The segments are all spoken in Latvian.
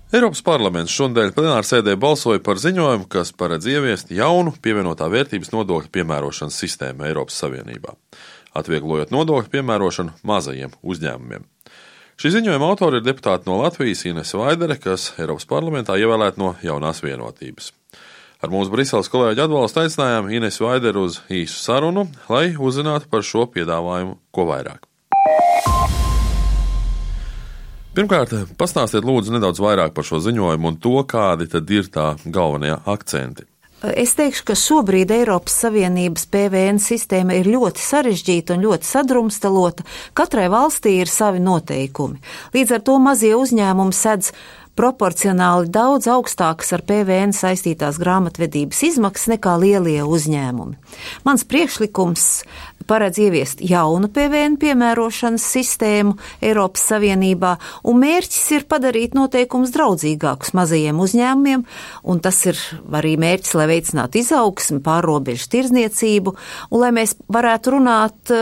Eiropas parlaments šonadēļ plenārsēdē balsoja par ziņojumu, kas paredz ieviest jaunu pievienotā vērtības nodokļa piemērošanas sistēmu Eiropas Savienībā, atvieglojot nodokļu piemērošanu mazajiem uzņēmumiem. Šī ziņojuma autori ir deputāti no Latvijas Inese Vaidere, kas Eiropas parlamentā ievēlēta no Jaunās vienotības. Ar mūsu Briseles kolēģi atbalstu aicinājām Inesi Vaideru uz īsu sarunu, lai uzzinātu par šo piedāvājumu ko vairāk. Pirmkārt, pastāstiet lūdzu nedaudz vairāk par šo ziņojumu un to, kādi tad ir tā galvenie akcenti. Es teikšu, ka šobrīd Eiropas Savienības PVN sistēma ir ļoti sarežģīta un ļoti sadrumstalota. Katrai valstī ir savi noteikumi. Līdz ar to mazie uzņēmumi sedz proporcionāli daudz augstākas ar PVN saistītās grāmatvedības izmaksas nekā lielie uzņēmumi. Mans priekšlikums paredz ieviest jaunu PVN piemērošanas sistēmu Eiropas Savienībā, un mērķis ir padarīt noteikumus draudzīgākus mazajiem uzņēmumiem, un tas ir arī mērķis, lai veicinātu izaugsmi, pārrobežu tirdzniecību, un lai mēs varētu runāt,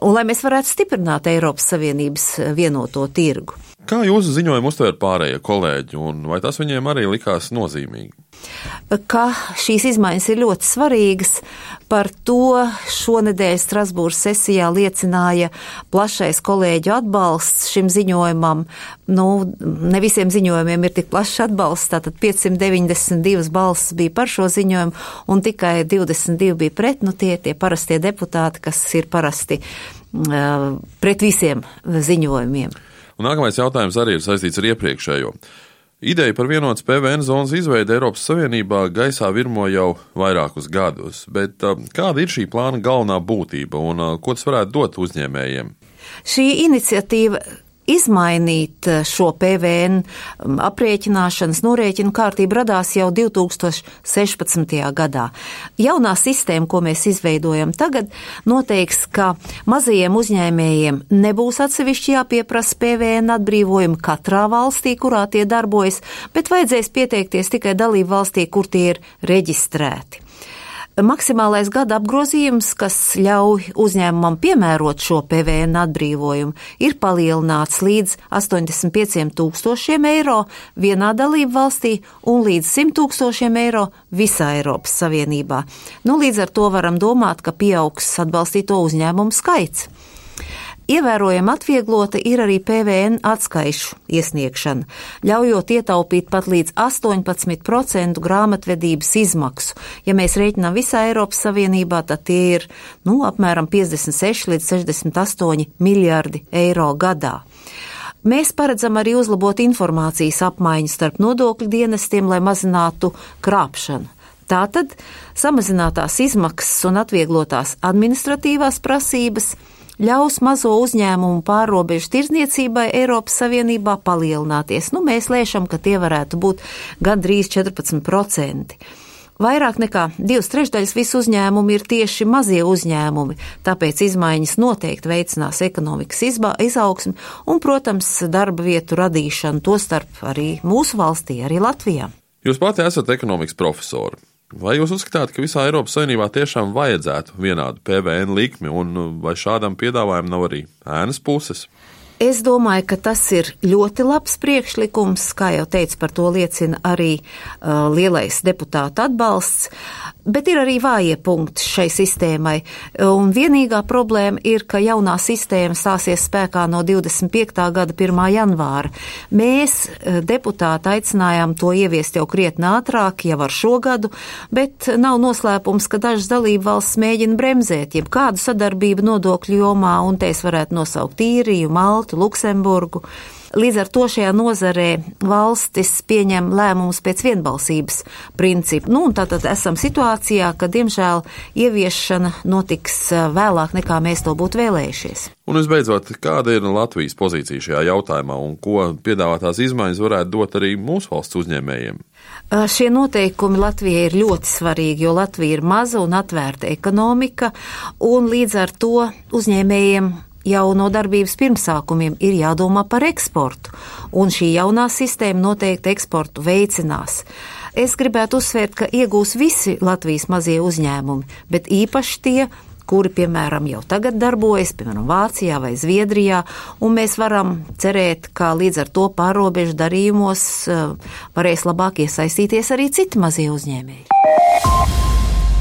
un lai mēs varētu stiprināt Eiropas Savienības vienoto tirgu. Kā jūsu ziņojumu uztver pārējie kolēģi, un vai tas viņiem arī likās nozīmīgi? Ka šīs izmaiņas ir ļoti svarīgas, par to šonedēļ Strasbūras sesijā liecināja plašais kolēģu atbalsts šim ziņojumam. Ne visiem ziņojumiem ir tik plašs atbalsts, tātad 592 balsis bija par šo ziņojumu, un tikai 22 bija pret, tie parastie deputāti, kas ir parasti pret visiem ziņojumiem. Un nākamais jautājums arī ir saistīts ar iepriekšējo. Ideja par vienotas PVN zonas izveidi Eiropas Savienībā gaisā virmo jau vairākus gadus, bet kāda ir šī plāna galvenā būtība un ko tas varētu dot uzņēmējiem? Šī iniciatīva izmainīt šo PVN aprēķināšanas norēķinu kārtību radās jau 2016. gadā. Jaunā sistēma, ko mēs izveidojam tagad, noteiks, ka mazajiem uzņēmējiem nebūs atsevišķi jāpieprasa PVN atbrīvojumi katrā valstī, kurā tie darbojas, bet vajadzēs pieteikties tikai dalību valstī, kur tie ir reģistrēti. Maksimālais gada apgrozījums, kas ļauj uzņēmumam piemērot šo PVN atbrīvojumu, ir palielināts līdz 85,000 eiro vienā dalību valstī un līdz 100,000 eiro visā Eiropas Savienībā. Līdz ar to varam domāt, ka pieaugs atbalstīto uzņēmumu skaits. Ievērojami atvieglota ir arī PVN atskaišu iesniegšana, ļaujot ietaupīt pat līdz 18% grāmatvedības izmaksu. Ja mēs rēķinām visā Eiropas Savienībā, tad tie ir apmēram 56 līdz 68 miljardi eiro gadā. Mēs paredzam arī uzlabot informācijas apmaiņu starp nodokļu dienestiem, lai mazinātu krāpšanu. Tātad samazinātās izmaksas un atvieglotās administratīvās prasības ļaus mazo uzņēmumu pārrobežu tirdzniecībai Eiropas Savienībā palielināties. Mēs lēšam, ka tie varētu būt gandrīz 14%. Vairāk nekā 2/3 visu uzņēmumu ir tieši mazie uzņēmumi, tāpēc izmaiņas noteikti veicinās ekonomikas izaugsmi un, protams, darba vietu radīšanu, tostarp arī mūsu valstī, arī Latvijā. Jūs pati esat ekonomikas profesori. Vai jūs uzskatāt, ka visā Eiropas Savienībā tiešām vajadzētu vienādu PVN likmi, un vai šādam piedāvājumam nav arī ēnas puses? Es domāju, ka tas ir ļoti labs priekšlikums, kā jau teicu, par to liecina arī lielais deputātu atbalsts, bet ir arī vājie punkti šai sistēmai, un vienīgā problēma ir, ka jaunā sistēma stāsies spēkā no 25. gada 1. janvāra. Mēs, deputāti, aicinājām to ieviest jau krietni ātrāk, jau ar šo gadu, bet nav noslēpums, ka dažas dalību valsts mēģina bremzēt jebkādu sadarbību nodokļu jomā, un te es varētu nosaukt Īriju, Maltu, Luksemburgu. Līdz ar to šajā nozarē valstis pieņem lēmumus pēc vienbalsības principa. Un tātad esam situācijā, ka, diemžēl, ieviešana notiks vēlāk, nekā mēs to būtu vēlējušies. Un visbeidzot, kāda ir Latvijas pozīcija šajā jautājumā un ko piedāvātās izmaiņas varētu dot arī mūsu valsts uzņēmējiem? Šie noteikumi Latvijai ir ļoti svarīgi, jo Latvija ir maza un atvērta ekonomika, un līdz ar to uzņēmējiem jau no darbības pirmsākumiem ir jādomā par eksportu, un šī jaunā sistēma noteikti eksportu veicinās. Es gribētu uzsvērt, ka iegūs visi Latvijas mazie uzņēmumi, bet īpaši tie, kuri, piemēram, jau tagad darbojas, piemēram, Vācijā vai Zviedrijā, un mēs varam cerēt, ka līdz ar to pārrobežu darījumos varēs labāk iesaistīties arī citi mazie uzņēmēji.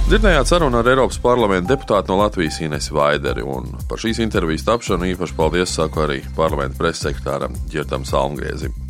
Dzirdējāt sarunu ar Eiropas parlamenta deputātu no Latvijas Inesi Vaideri, un par šīs intervijas tapšanu īpaši paldies saku arī parlamenta preses sekretāram Ģirtam Salmgriezim.